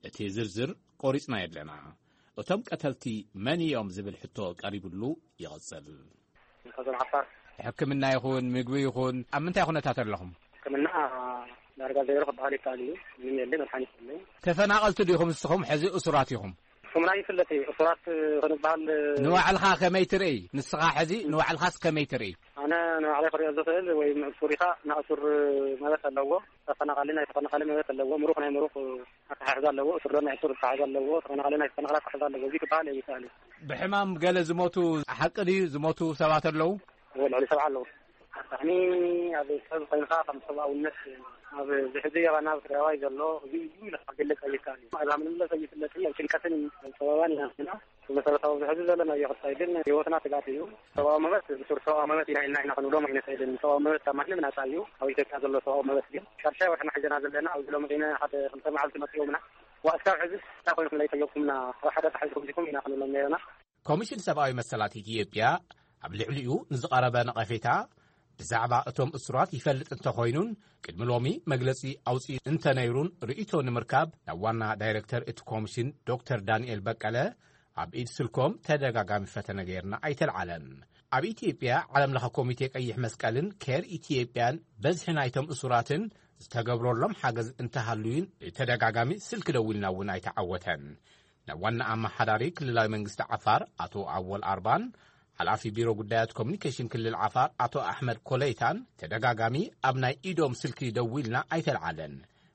እቲ ዝርዝር ቆሪጽና የለና። እቶም ቀተልቲ መን እዮም ዝብል ሕቶ ቀሪብሉ ይቕጽል። ከዞም ዓፋር ሕክምና ይኹን ምግቢ ይኹን ኣብ ምንታይ ኩነታት ኣለኹም? ሕክምና ዳርጋ ዘይሮ ክበሃል ይከኣል እዩ። ምንም የለ መድሓኒት የለ። ተፈናቐልቲ ዲኹም ንስኹም ሕዚ እሱራት ኢኹም? ስምና ይፍለጥ እዩ። እሱራት ክንበሃል ንባዕልኻ ከመይ ትርኢ? ንስኻ ሕዚ ንባዕልኻስ ከመይ ትርኢ? ኣነ ንባዕለይ ክሪኦ ዝኽእል ወይ ምእሱር ኢኻ ናእሱር መበት ኣለዎ። ተፈናቓሊ ናይ ተፈናቓሊ መበት ኣለዎ። ምሩኽ ናይ ምሩኽ ኣተሓሕዛ ኣለዎ። እሱር ናይ እሱር ኣተሓሕዛ ኣለዎ። ተፈናቓሊ ናይ ተፈናቓሊ ኣተሓሕዛ ኣለዎ። እዚ ክበሃል ኣይከኣል እዩ። ብሕማም ገለ ዝሞቱ ሓቂ ድዩ? ዝሞቱ ሰባት ኣለዉ? እዎ፣ ልዕሊ ሰብዓ ኣለዉ። ኣሳሕኒ ኣብ ሰብ ኮይንካ ከም ሰብኣውነት ኣብ ዝሕዚ የባና ኣብ ትግራዋይ ዘሎ እዚ እዩ ኢልካ ክገልፅ ኣይከኣል እዩ። እዛ ምንምለስ ኣይፍለጥ እዩ። ኣብ ጭንቀትን ሰበባን ኢና ዘለና። ብመሰረታዊ ዝሕዚ ዘለና እዮ ክታይ ግን ህይወትና ስጋት እዩ። ሰብኣዊ መበት ብሱር ሰብኣዊ መበት ኢና ኢልና ኢና ክንብሎም ኣይንኽእልን። ሰብኣዊ መበት ካብ ማንም ናፃ እዩ። ኣብ ኢትዮጵያ ዘሎ ሰብኣዊ መበት ግን ሻድሻይ ወርሕና ሒዘና ዘለና ኣብዚ ሎሚ ዒነ ሓደ ክልተ መዓልቲ መፅኦምና ዋእስካብ ሕዚ እንታይ ኮይንኩም ናይ ጠየቅኩምና ኣብ ሓደ ተሓዝኩም ዲኩም ኢና ክንብሎም ነይርና። ኮሚሽን ሰብኣዊ መሰላት ኢትዮጵያ ኣብ ልዕሊኡ ንዝቐረበ ነቐፌታ ብዛዕባ እቶም እሱራት ይፈልጥ እንተኾይኑን ቅድሚ ሎሚ መግለጺ ኣውፅኡ እንተነይሩን ርእይቶ ንምርካብ ናብ ዋና ዳይሬክተር እቲ ኮሚሽን ዶክተር ዳንኤል በቀለ ኣብ ኢድ ስልኮም ተደጋጋሚ ፈተነ ገይርና ኣይተልዓለን። ኣብ ኢትዮጵያ ዓለም ለኸ ኮሚቴ ቀይሕ መስቀልን ኬር ኢትዮጵያን በዝሒ ናይቶም እሱራትን ዝተገብረሎም ሓገዝ እንተሃልዩን ብተደጋጋሚ ስልኪ ደዊልና እውን ኣይተዓወተን። ናብ ዋና ኣመሓዳሪ ክልላዊ መንግስቲ ዓፋር ኣቶ ኣወል ኣርባን ሓላፊ ቢሮ ጉዳያት ኮሚኒኬሽን ክልል ዓፋር ኣቶ ኣሕመድ ኮለይታን ተደጋጋሚ ኣብ ናይ ኢዶም ስልኪ ደዊልና ኣይተልዓለን።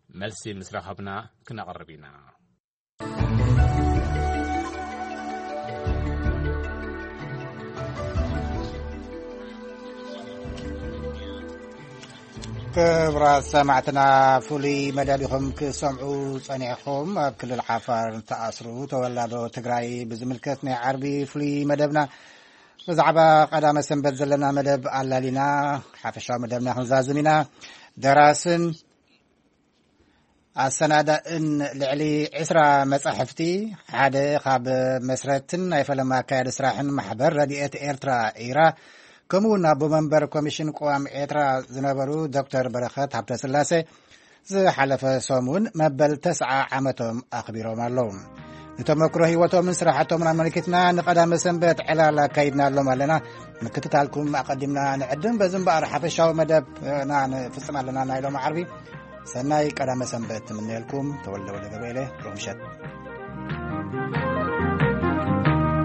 መልሲ ምስ ረኸብና ክነቕርብ ኢና። ክቡራት ሰማዕትና፣ ፍሉይ መደብ ኢኹም ክሰምዑ ጸኒሕኹም። ኣብ ክልል ዓፋር ዝተኣስሩ ተወላዶ ትግራይ ብዝምልከት ናይ ዓርቢ ፍሉይ መደብና ብዛዕባ ቀዳመ ሰንበት ዘለና መደብ ኣላሊና ሓፈሻዊ መደብና ክንዛዝም ኢና። ደራስን ኣሰናዳእን ልዕሊ ዕስራ መጻሕፍቲ፣ ሓደ ካብ መስረትን ናይ ፈለማ ኣካያዲ ስራሕን ማሕበር ረድኤት ኤርትራ፣ ኢራ፣ ከምኡ እውን ኣቦ መንበር ኮሚሽን ቅዋም ኤርትራ ዝነበሩ ዶክተር በረኸት ሃብተስላሴ ዝሓለፈ ሰሙን መበል ተስዓ ዓመቶም ኣኽቢሮም ኣለዉ። ንተመክሮ ህይወቶምን ስራሕቶምን ኣመልኪትና ንቐዳመ ሰንበት ዕላል ኣካይድናሎም ኣለና። ምክትታልኩም ኣቐዲምና ንዕድም። በዚ እምበኣር ሓፈሻዊ መደብና ንፍጽም ኣለና። ናይ ሎም ዓርቢ ሰናይ ቀዳመ ሰንበት ትምነየልኩም። ተወልደ ወልደ ገብርኤለ። ሮምሸት